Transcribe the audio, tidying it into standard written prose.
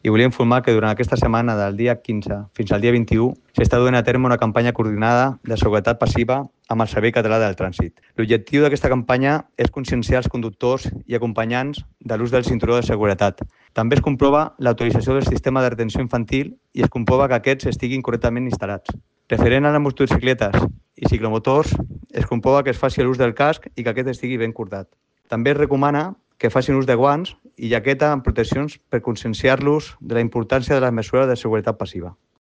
i volia informar que durant aquesta setmana, del dia 15 fins al dia 21, s'està duent a terme una campanya coordinada de seguretat passiva amb el Servei Català del Trànsit. L'objectiu d'aquesta campanya és conscienciar els conductors i acompanyants de l'ús del cinturó de seguretat. També es comprova l'autorització del sistema de retenció infantil i es comprova que aquests estiguin correctament instal·lats. Referent a les motocicletes i ciclomotors, es comprova que es faci l'ús del casc i que aquest estigui ben cordat. També es recomana que facin ús de guants i jaqueta amb proteccions per conscienciar-los de la importància de les mesures de seguretat passiva.